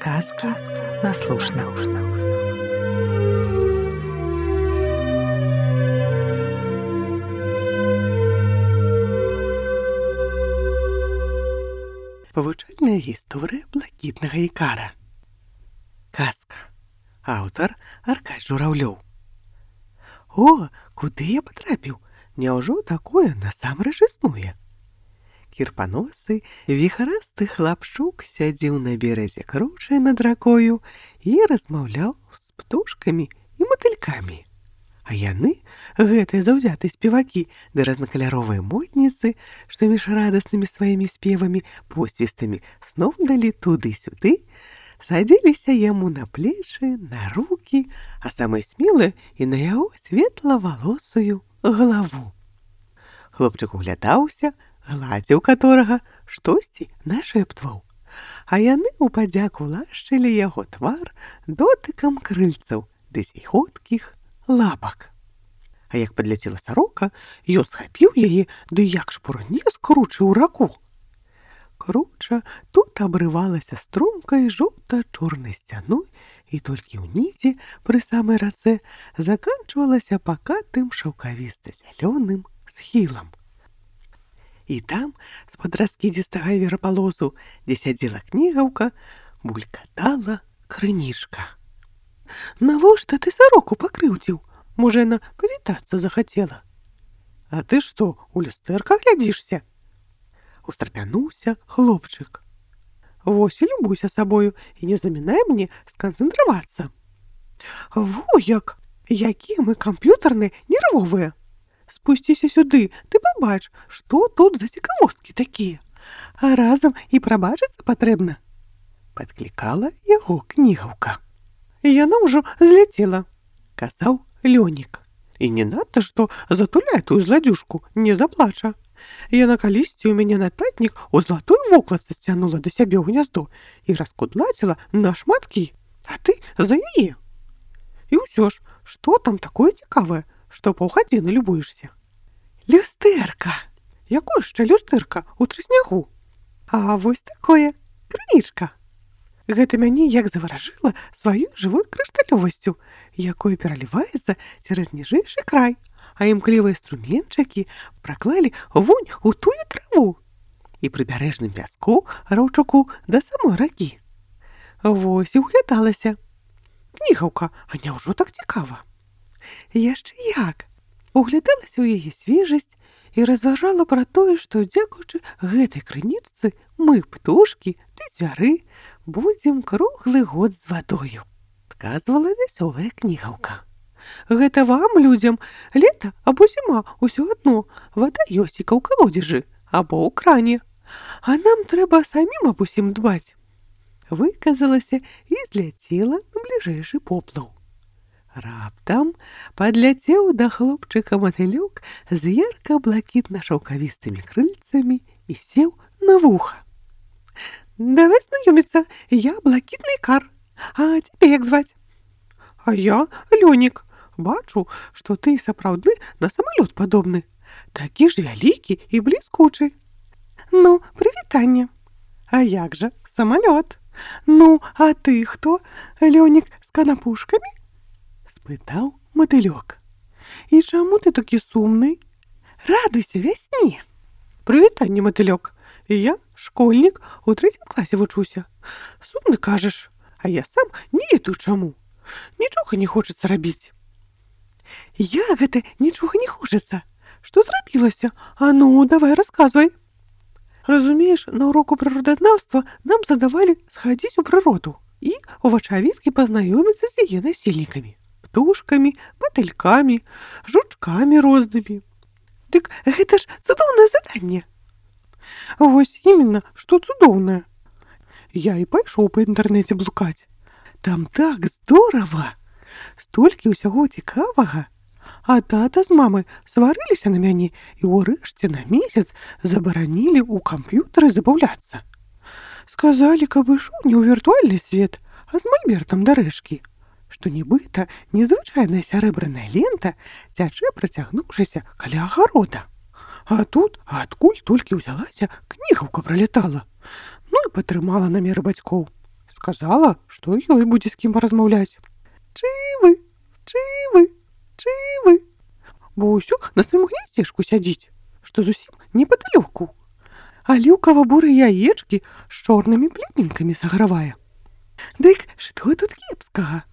Сказки на слушна. Павучальная гісторыя блакітнага ікара. Казка. Аўтар Аркадзь Жураўлёў. О, куды я патрапіў? Няўжо такое насамрэч існуе? Кірпаносы віхарасты хлапчук сядзеў на беразе кручай над ракою і размаўляў з птушкамі і матылькамі. А яны, гэтыя заўзятыя спевакі ды разнакаляровыя модніцы, што між радаснымі сваімі спевамі, посвістамі сноў далі туды-сюды, садзіліся яму на плечы, на рукі, а самыя смелыя і на яго светла-валосую галаву. Хлопчык углядаўся, гладзіў каторага, штосьці нашэптваў, а яны ў падзяку лашчылі яго твар дотыкам крыльцаў ды зіхоткіх лапак. А як падляцела сарока, ён схапіў яе, ды як шпурне скручыў раку. Круча тут абрывалася струмкай жоўта-чорнай сцяной і толькі ўнізе, пры самай рацэ, заканчвалася пакатым шаўкавіста-зялёным схілам. І там, з-пад раскідзістага верапалосу, дзе сядзела кнігаўка, булькатала крынічка. Навошта ты сароку пакрыўдзіў? Можа, яна павітацца захацела? А ты што, у люстэрка глядзішся? Устрапянуўся хлопчык. Вось і любуйся сабою і не замінай мне сканцэнтравацца. Во як! Якія мы камп'ютарныя нервовыя! Спусціся сюды, ты пабач, што тут за цікавосткі такія. А разам і прабачыцца патрэбна. Падклікала яго кнігаўка. Яна ўжо зляцела, казаў Лёнік. І не надта, што затуляе тую зладзюшку, не заплача. Яна калісьці ў мяне нататнік у златую вокладцы сцянула да сябе ў гняздо і раскудлаціла на шматкі, а ты за яе. І ўсё ж, што там такое цікавае, што паўгадзіны любуешся? Люстэрка! Якое яшчэ люстэрка у трыснягу? А вось такое, крынічка. Гэта мяне як заваражыла сваёй жывой крышталёвасцю, якой пераліваецца цераз ніжэйшы край, а імклівыя струменчыкі праклалі вунь у тую траву і прыбярэжным пяску раўчуку да самой ракі. Вось і углядалася. Кнігаўка, а няўжо так цікава? Яшчэ як! Углядалася ў яе свежасць і разважала пра тое, што дзякуючы гэтай крынічцы мы, птушкі ды звяры, будзем круглы год з вадою, адказвала вясёлая кнігаўка. Гэта вам, людзям, лета або зіма, усё адно, вада ёсць і ў калодзежы або ў кране, а нам трэба самім аб усім дбаць. Выказалася і зляцела на бліжэйшы поплаў. Раптам падляцеў да хлопчыка матылёк з ярка-блакітна-шаўкавістымі крыльцамі і сеў на вуха. Давай знаёміцца, я блакітны ікар. А цябе як зваць? А я Лёнік. Бачу, што ты сапраўдны на самалёт падобны. Такі ж вялікі і бліскучы. Ну, прывітанне. А як жа, самалёт. Ну, а ты хто, Лёнік з канапушкамі? Спытаў матылёк. І чаму ты такі сумны? Радуйся вясне. Прывітанне, матылёк. Я школьнік, у 3 класе вучуся. Сумны кажаш, а я сам не ведаю чаму. Нічога не хочацца рабіць. Я гэта нічога не хочацца. Што зрабілася? А ну, давай расказвай. Разумееш, на уроку прыродазнаўства нам задавалі схадзіць у прыроду і ў вачавіткі пазнаёміцца з яе насельнікамі. Птушкамі, матылькамі, жучкамі рознымі. Дык гэта ж цудоўнае заданне. Вось іменно, што цудоўнае. Я і пайшоў па інтэрнэце блукаць. Там так здорава! Столькі ўсяго цікавага. А тата з мамай сварыліся на мяне і ўрэшце на месяц забаранілі ў камп'ютары забаўляцца. Сказалі, каб ішоў не ў віртуальны свет, а з мальбертам да рэчкі. Што нібыта незвычайная сярэбраная лента цячэ, працягнуўшыся каля агарода. А тут, адкуль толькі ўзялася, кнігаўка пралетала. Ну і падтрымала намеры бацькоў. Сказала, што ёй будзе з кім паразмаўляць. Чывы, чывы, чывы. Бо ўсё на сваім гняздзечку сядзіць, што зусім непадалёку. Аліўкава-бурыя яечкі з чорнымі племінкамі сагравае. Дык што тут кепскага?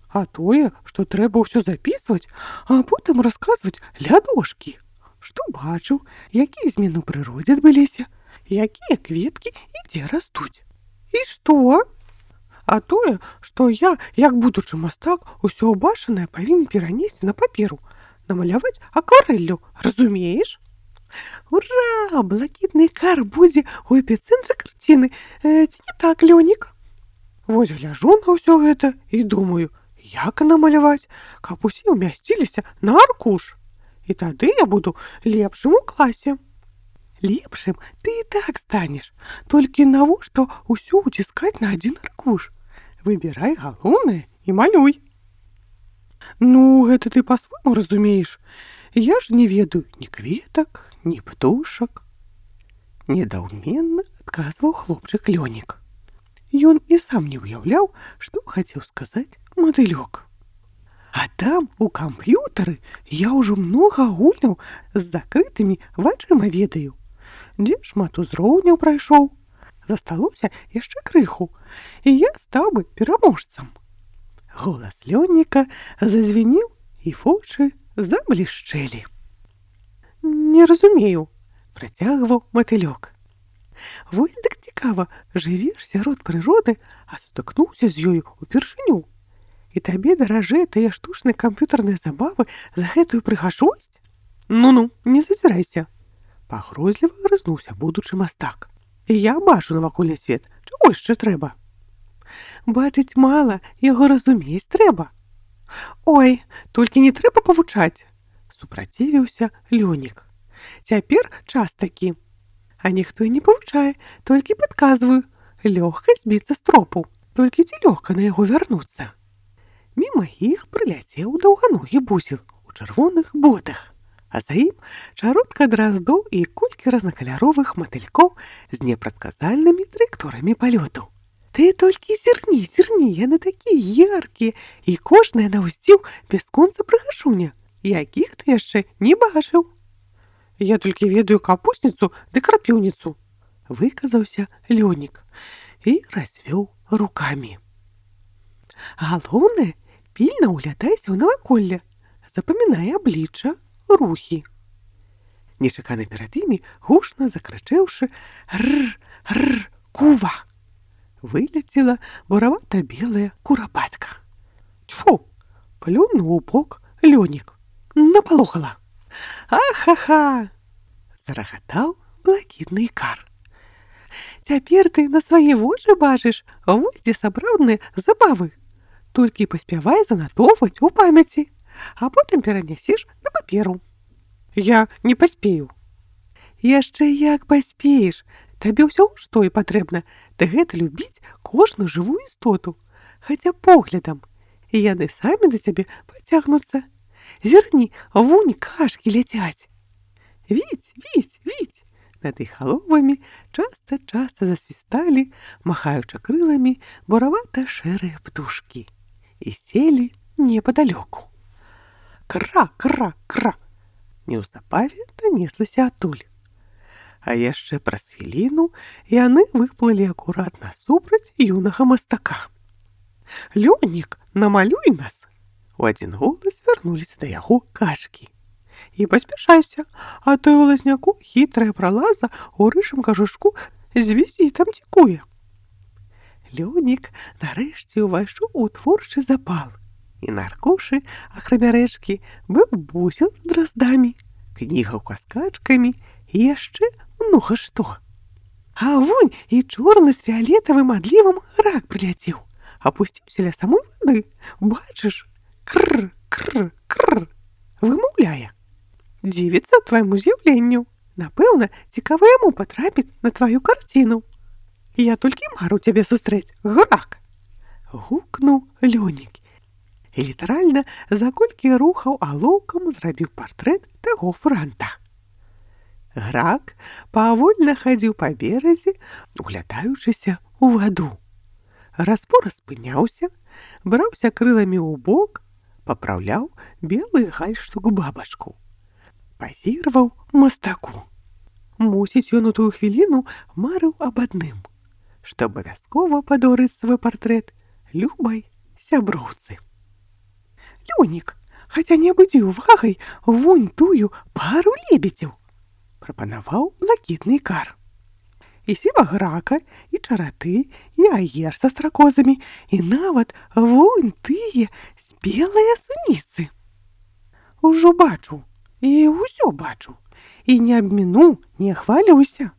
А тое, што трэба ўсё запісваць, а потым расказваць ля дошкі. Што бачыў, якія змены ў прыродзе адбыліся, якія кветкі і дзе растуць. І што? А тое, што я, як будучы мастак, усё ўбачанае павінен перанесці на паперу, намаляваць акварэллю, разумееш? Ура! Блакітны ікар будзе ў эпіцэнтры карціны. Ці не так, Лёнік? Вось гляжу на ўсё гэта і думаю, як намаляваць, каб усе ўмясціліся на аркуш. І тады я буду лепшым у класе. Лепшым ты і так станеш, толькі навошта ўсё уціскаць на адзін аркуш? Выбірай галоўнае і малюй. Ну, гэта ты па-свойму разумееш. Я ж не ведаю ні кветак, ні птушак. Недаўменна адказваў хлопчык Лёнік. Ён і сам не ўяўляў, што хацеў сказаць матылёк. А там, у камп'ютары, я ўжо многа гульняў з закрытымі вачыма ведаю. Дзе шмат узроўняў прайшоў. Засталося яшчэ крыху, і я стаў бы пераможцам. Голас Лёніка зазвенеў, і вочы заблішчэлі. Не разумею, працягваў матылёк. Вось дык цікава, жывеш сярод прыроды, а сутыкнуўся з ёю ўпершыню. І табе даражэй тыя штучныя камп'ютарныя забавы за гэтую прыгажосць? Ну-ну, не зазірайся. Пагрозліва грызнуўся будучы мастак. І я бачу навакольны свет, чаго яшчэ трэба? Бачыць мала, яго разумець трэба. Ой, толькі не трэба павучаць, супрацівіўся Лёнік. Цяпер час такі. А ніхто і не павучае, толькі падказваю. Лёгка збіцца з тропу, толькі ці лёгка на яго вярнуцца. Міма іх прыляцеў даўганогі бузел у чырвоных ботах, а за ім чародка драздоў і колькі разнакаляровых матылькоў з непрадказальнымі траекторыямі палёту. Ты толькі зірні, яны такія яркія, і кожная на ўсціў бясконца прыгажуня, якіх ты яшчэ не бачыў. Я толькі ведаю капусніцу ды крапіўніцу, выказаўся Лёнік і развёў рукамі. Галоўнае, пільна ўглядайся ў наваколле, запамінай аблічча, рухі. Нечакана перад імі, гучна закрычэўшы «Рр-рр, кува!» вылецела буравата-белая курапатка. Тьфу! Плюнуў у бок Лёнік. Напалохала. Ах-ха-ха! Зарагатаў блакітны ікар. Цяпер ты на свае вочы бачыш, вось дзе сапраўдныя забавы. Толькі паспявай занатоўваць у памяці, а потым перанясеш на паперу. Я не паспею. Яшчэ як паспееш. Табе ўсё што і патрэбна, ты гэта любіць кожную жывую істоту, хаця поглядам, і яны самі да цябе пацягнуцца. Зірні, вунь кашкі ляцяць. Віць, віць, віць. Над іх галовамі часта-часта засвісталі, махаючы крыламі, буравата-шэрыя птушкі і селі непадалёку. Кра-кра-кра. Неўзабаве данеслася адтуль. А яшчэ праз хвіліну яны выплылі акурат насупраць юнага мастака. Лёнік, намалюй нас! У адзін голас вярнуліся да яго кашкі. І паспяшайся, а то ў лазняку хітрая пралаза ў рыжым кажушку з візітам цікуе. Лёнік нарэшце ўвайшоў у творчы запал. І на аркушы, акрамя рэчкі, быў бузел з драздамі, кнігаўка з качкамі і яшчэ многа што. А вунь і чорны з фіялетавым адлівам рак прыляцеў, апусціўся ля самой вады. Бачыш? Кр-кр-кр, вымаўляе. Дзівіцца твайму з'яўленню. Напэўна, цікава яму патрапіць на тваю карціну. Я толькі мару цябе сустрэць, грак! Гукнуў Лёнік. І літаральна за колькі рухаў алоўкам зрабіў партрэт таго франта. Грак павольна хадзіў па беразе, углядаючыся ў ваду. Распор спыняўся, браўся крыламі ў бок, папраўляў белы гальштук бабачку. Пазіраваў мастаку. Мусіць, ён у тую хвіліну марыў аб адным, што абавязкова падорыць свой партрэт любай сяброўцы. «Лёнік, хаця не абудзі увагай вунь тую пару лебедзяў», прапанаваў блакітны ікар. І сіваграка, і чараты, і аер са стракозамі, і нават вунь тыя спелыя суніцы. «Ужо бачу, і ўсё бачу, і не абміну, не хвалюся.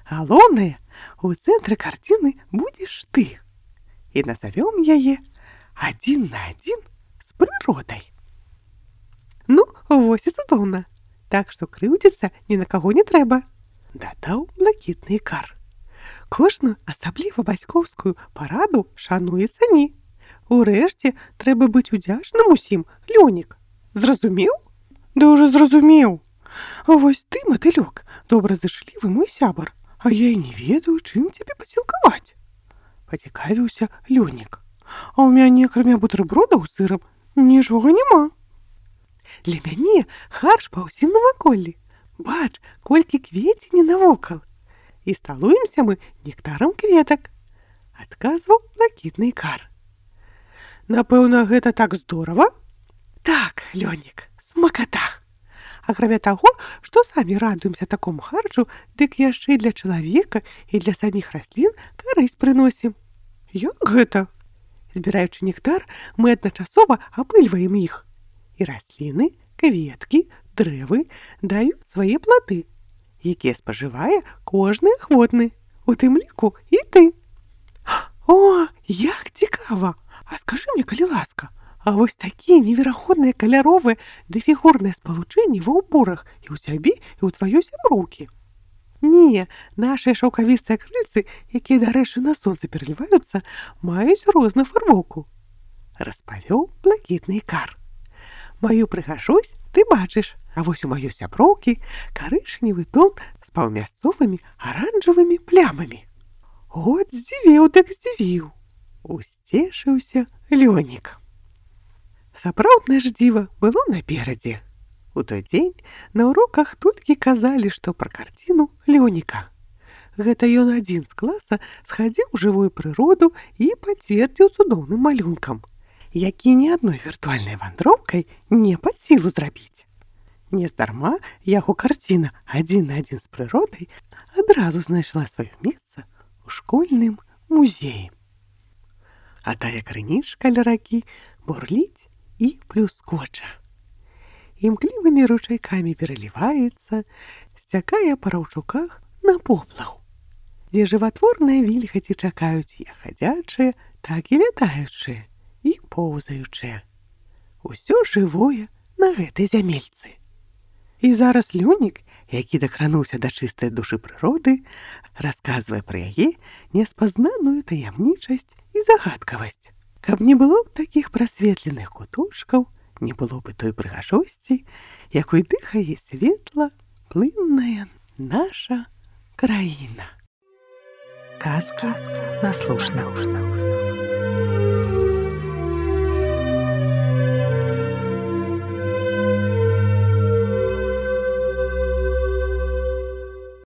Галоўнае, у цэнтры карціны будзеш ты. І назавём яе адзін на адзін з прыродай». «Ну, вось і цудоўна, так што крыўдзіцца ні на каго не трэба», дадаў блакітны ікар. «Кожную асабліва бацькоўскую параду шануе цані. Урэшце, трэба быць удзячным усім, Лёнік. Зразумеў?» «Да ўжо зразумеў. Вось ты, матылёк, добразычлівы мой сябар, а я і не ведаю, чым цябе пацілкаваць», пацікавіўся Лёнік. «А ў мяне, акрамя бутэрбродаў з сырам, нічога няма. Для мяне харш па ўсім наваколлі. Бач, колькі кветені навокал. І сталуемся мы нектарам кветак», адказваў блакітны ікар. «Напэўна, гэта так здорава?» «Так, Лёнік, смаката. Акрамя таго, што самі радуемся такому харчу, дык яшчэ і для чалавека, і для саміх раслін карысць прыносім». «Як гэта?» «Збіраючы нектар, мы адначасова апыльваем іх. І расліны, кветкі, дрэвы даюць свае плады, якія спажывае кожны ахвотны, у тым ліку і ты». «О, як цікава! А скажы мне, калі ласка, а вось такія невераходныя каляровыя ды фігурныя спалучэнні ва ўборах і ў цябе, і ў тваёй сяброўкі?» «Не, нашыя шаўкавістыя крыльцы, якія, дарэчы, на сонцы пераліваюцца, маюць розную фарбоўку», распавёў блакітны ікар. «Маю прыгажосць ты бачыш, а вось у маёй сяброўкі карычневы тон з паўмясцовымі аранжавымі плямамі». «От здзівіў, так здзівіў», усцешыўся Лёнік. Сапраўднае ж дзіва было наперадзе. У той дзень на уроках толькі казалі, што пра карціну Лёніка. Гэта ён адзін з класа схадзіў у жывую прыроду і пацвердзіў цудоўным малюнкам, які ні адной віртуальнай вандроўкай не пад сілу зрабіць. Нездарма яго карціна адзін на адзін з прыродай адразу знайшла сваё месца ў школьным музеі. А тая крынічка ля ракі бурліць і плюскоча. Імклівымі ручайкамі пераліваецца, сцякае па раўчуках на поплаву, дзе жыватворныя вільгаці чакаюць як хадзячыя, так і лятаючыя і поўзаючыя. Усё жывое на гэтай зямельцы. І зараз Лёнік, які дакрануўся да чыстай душы прыроды, расказвае пра яе неспазнаную таямнічасць і загадкавасць. Каб не было такіх прасветленых куточкаў, не было бы той прыгажосці, якой дыхае светла, плынная наша краіна. Казка на слушна.